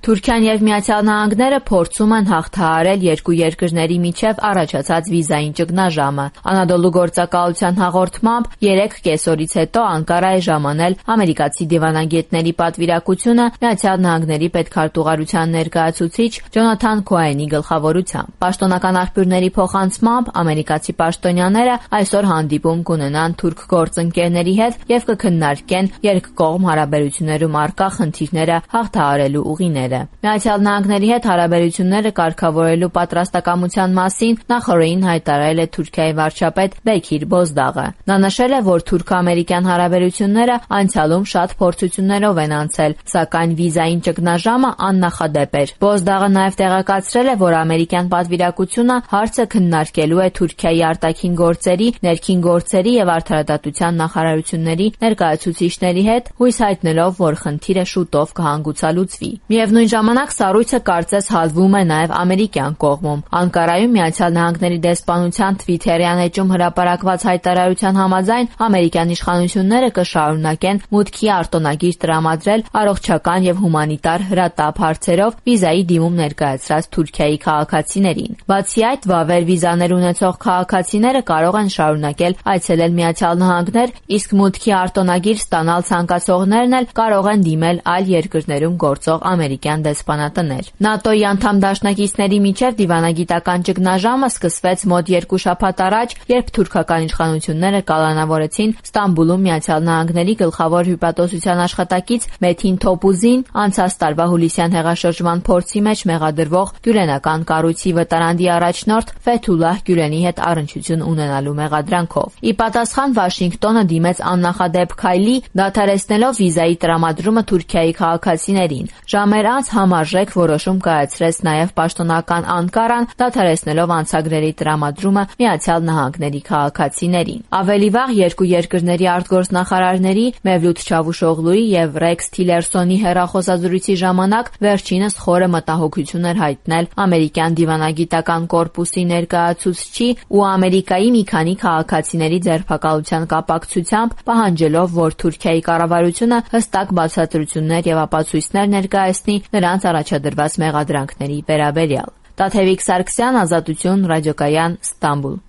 Թուրքիան եւ Միացյալ Նահանգները փորձում են հաղթահարել երկու երկրների միջև առաջացած վիզային ճգնաժամը։ Անադոլու գործակալության հաղորդմամբ 3 կեսօրից հետո Անկարա է ժամանել ամերիկացի դիվանագետների պատվիրակությունը Միացյալ Նահանգների պետքարտուղարության ներկայացուցիչ Ջոնաթան Քոենի գլխավորությամբ։ Պաշտոնական աղբյուրների փոխանցմամբ ամերիկացի պաշտոնյաները այսօր հանդիպում կունենան թուրք գործընկերների հետ եւ կքննարկեն երկկողմ հարաբերություններում առկա խնդիրները հաղթահարելու ուղիները։ Միացյալ Նահանգների հետ հարաբերությունները կարգավորելու պատրաստակամության մասին նախօրեին հայտարարել է Թուրքիայի վարչապետ Բեքիր Բոզդաղը։ Նա նշել է, որ թուրք-ամերիկյան հարաբերությունները անցյալում շատ փորձություններով են անցել, սակայն վիզային ճգնաժամը աննախադեպ էր։ Բոզդաղը նաև տեղեկացրել է, որ ամերիկյան պատվիրակությունը հարցը քննարկելու է Թուրքիայի արտաքին գործերի, ներքին գործերի եւ արդարադատության նախարարությունների ներկայացուցիչների հետ, հույս հայտնելով, որ խնդիրը շուտով կհանգուցալուծվի։ Միևնույն ժամանակ սառույցը կարծես հալվում է նաև ամերիկյան կողմում։ Անկարայում Միացյալ Նահանգների դեսպանության Թվիթերյան էջում հրապարակված հայտարարության համաձայն ամերիկյան իշխանությունները կշարունակեն մուտքի արտոնագիր տրամադրել առողջական եւ հումանիտար հրատապ հարցերով վիզայի դիմում ներկայացրած Թուրքիայի քաղաքացիներին։ Բացի այդ, վավեր վիզաներ ունեցող քաղաքացիները կարող են շարունակել այցելել Միացյալ Նահանգներ, իսկ մուտքի արտոնագիր ստանալ ցանկացողներն էլ կարող են դիմել այլ երկրներում գործող ամերիկյան դեսպանատներ։ ՆԱՏՕ-ի անդամ դաշնակիցների միջև դիվանագիտական ճգնաժամը սկսվեց մոտ 2 շաբաթ առաջ, երբ թուրքական իշխանությունները կալանավորեցին Ստամբուլում Միացյալ Նահանգների գլխավոր հյուպատոսության աշխատակից Մեթին Թոպուզին անցած տարվա հուլիսյան հեղաշրջման փորձի մեջ մեղադրվող գյուլենական կառույցի վտարանդի առաջնորդ Ֆեթուլահ Գյուլենի հետ առնչություն ունենալու մեղադրանքով։ Ի պատասխան Վաշինգտոնը դիմեց աննախադեպ քայլի, դադարեցնելով վիզայի տրամադրումը Թուրքիայի քաղաքացիներին։ Ժամեր անց համարժեք որոշում կայացրեց նաև պաշտոնական Անկարան, դադարեցնելով անցագրերի տրամադրումը Միացյալ Նահանգների քաղաքացիներին։ Ավելի վաղ երկու երկրների արտգործնախարարների Մևլութ Չավուշօղլուի եւ Ռեքս Թիլերսոնի հեռախոսազրույցի ժամանակ վերջինս խորը մտահոգություն էր հայտնել ամերիկյան դիվանագիտական կորպուսի ներկայացուցչի ու Ամերիկայի մի քանի քաղաքացիների ձերբակալության կապակցությամբ, պահանջելով, որ Թուրքիայի կառավարությունը հստակ բացատրություններ եւ ապացույցներ ներկայացնի նրանց առաջադրված մեղադրանքների վերաբերյալ։ Տաթևիկ Սարգսյան, Ազատություն, Ռադիոկայան, Ստամբուլ։